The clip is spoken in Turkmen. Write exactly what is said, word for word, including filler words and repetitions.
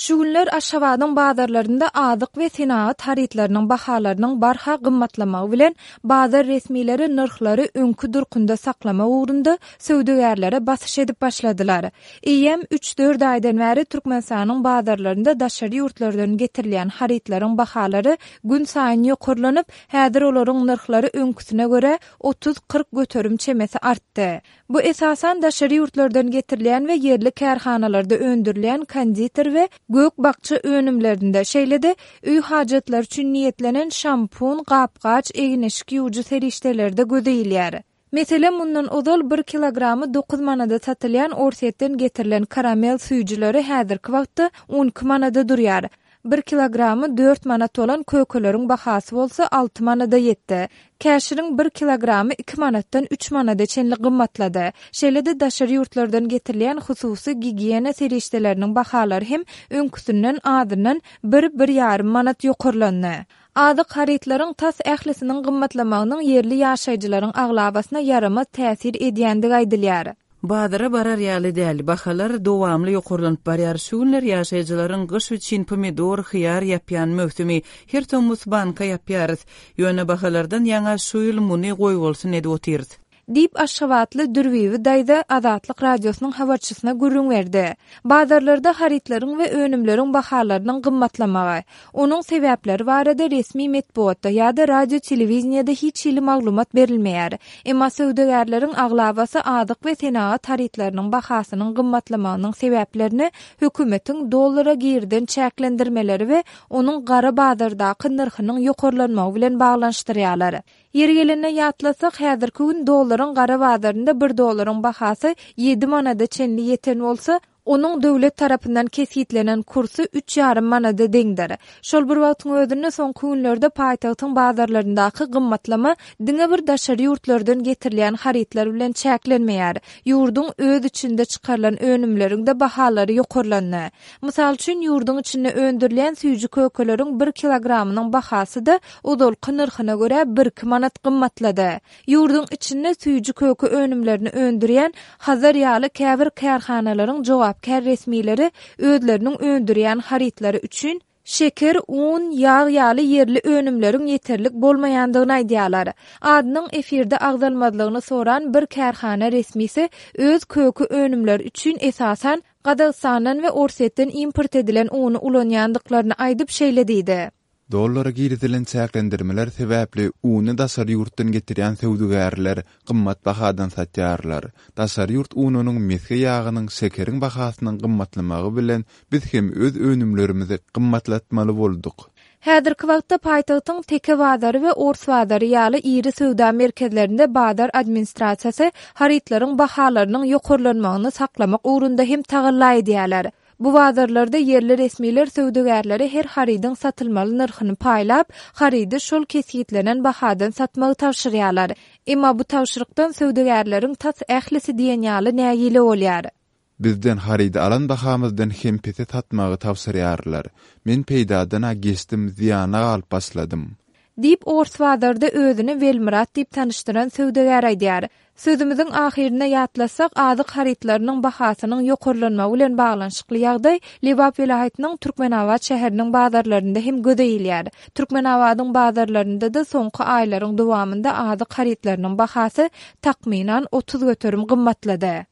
Şu günler Aşgabadyň bazarlarynda azyk we senagat harytlarynyň bahalarynyň barha gymmatlamagy bilen, bazar resmileri nyrhlary öňki durkunda saklamak ugrunda söwdagärlere basyş edip başladylar. Eýýäm üç-dört aýdan bäri Türkmenistanyň bazarlarynda daşary ýurtlardan getirilýän harytlaryň bahalary günsaýyn ýokarlanyp, häzir olaryň nyrhlary öňküsine görä otuz-kyrk göterim çemesi artdy. Bu esasan daşary ýurtlardan getirilýän we ýerli kärhanalarda öndürilýän konditer we gök-bakja önümlerinde, şeýle-de öý hajatlary üçin niýetlenen şampun, gap-gaç, egin-eşik ýuwujy serişdelerde göze ilýär. Meselem, mundan ozal bir kilogramy dokuz manada satylýan Orsýetden getirilen karamel süýjüleri häzirki wagtda on iki manada durýar. Bir kilogramy dört manat bolan kökeleriň bahasy bolsa alty manada ýetdi. Käşiriň bir kilogramy iki manatdan üç manada çenli gymmatlady. Şeýle-de daşary ýurtlardan getirilýän hususy gigiýena serişdeleriniň bahalary hem öňküsinden azyndan bir-bir ýarym manat ýokarlandy. Azyk harytlaryň tas ählisiniň gymmatlamagynyň ýerli ýaşaýjylaryň aglabasyna ýaramaz täsir edýändigi aýdylýar. Bazara barar ýaly däl, bahalar dowamly ýokarlanyp barýar. Şu günler ýaşaýjylaryň gyş üçin pomidor, hyýar ýapýan möwsümi, her tomus banka ýapýarys. Ýöne bahalardan ýaňa şu ýyl muny goýbolsun edip otyrys. Diýip, aşgabatly Dürbibi daýza Azatlyk Radiosynyň habarçysyna gürrüň berdi. Bazarlarda harytlaryň we önümleriň bahalarynyň gymmatlamagy, onuň sebäpleri barada resmi metbugatda ýa-da radio-telewideniýede hiç hili maglumat berilmeýär. Emma söwdagärleriň aglabasy azyk we senagat harytlarynyň bahasynyň gymmatlamagynyň sebäplerini hökümetiň dollara girden çäklendirmeleri we onuň gara bazardaky nyrhynyň ýokarlanmagy bilen baglanyşdyrýarlar. Ýeri gelende ýatlasak, häzirki gün dollaryň gara bazarynda bir dollaryň bahasy ýedi manada çenli ýeten bolsa, onuň döwlet tarapyndan kesgitlenen kursy üç ýarym manada deňdir. Şol bir wagtyň özünde soňky günlerde paýtagtyň bazarlaryndaky gymmatlama diňe bir daşary ýurtlardan getirilýän harytlar bilen çäklenmeýär. Ýurduň öz içinde çykarylan önümleriň-de bahalary ýokarlandy. Mysal üçin, ýurduň içinde öndürilýän süýji kökeleriň bir kilogramynyň bahasy-da ozalky nyrhyna görä bir-iki manat gymmatlady. Ýurduň içinde süýji köke önümlerini öndürýän Hazar ýaly käbir kärhanalaryň jogapkär resmileri özleriniň öndürýän harytlary üçin şeker, un, ýag ýaly ýerli önümleriň ýeterlik bolmaýandygyny aýdýarlar. Adynyň efirde agzalmazlygyny soran bir kärhana resmisi öz köke önümleri üçin esasan Gazagystandan we Orsýetden import edilen uny ulanýandyklaryny aýdyp şeýle diýdi. Dollara girizilen çäklendirmeler sebäpli uny daşary ýurtdan getirýän söwdagärler gymmat bahadan satýarlar. Daşary ýurt ununyň, mesge ýagynyň, şekeriň bahasynyň gymmatlamagy bilen biz hem öz önümlerimizi gymmatlatmaly bolduk. Häzirki wagtda paýtagtyň Teke bazary we Ors bazary ýaly iri söwda merkezlerinde bazar administrasiýasy harytlaryň bahalarynyň ýokarlanmagyny saklamak ugrunda hem tagalla edýärler. Bu bazarlarda ýerli resmiler söwdagärlere her harydyň satylmaly nyrhyny paýlap, harydy şol kesgitlenen bahadan satmagy tabşyrýarlar. Emma bu tabşyrykdan söwdagärleriň tas ählisi diýen ýaly nägile bolýar. Bizden harydy alan bahamyzdan hem pese satmagy tabşyrýarlar. Men peýdadan-a geçdim, zyýana galyp başladym. Diýip, ors bazarda özüni Welmyrat diýip tanyşdyran söwdagär aýdýar. Sözümiziň ahyrynda ýatlasak, azyk harytlarynyň bahasynyň ýokarlanmagy bilen baglanyşykly ýagdaý Lebap welaýatynyň Türkmenabat şäheriniň bazarlarynda hem göze ilýär. Türkmenabadyň bazarlarynda-da soňky aýlaryň dowamynda azyk harytlarynyň bahasy takmynan otuz göterim gymmatlady.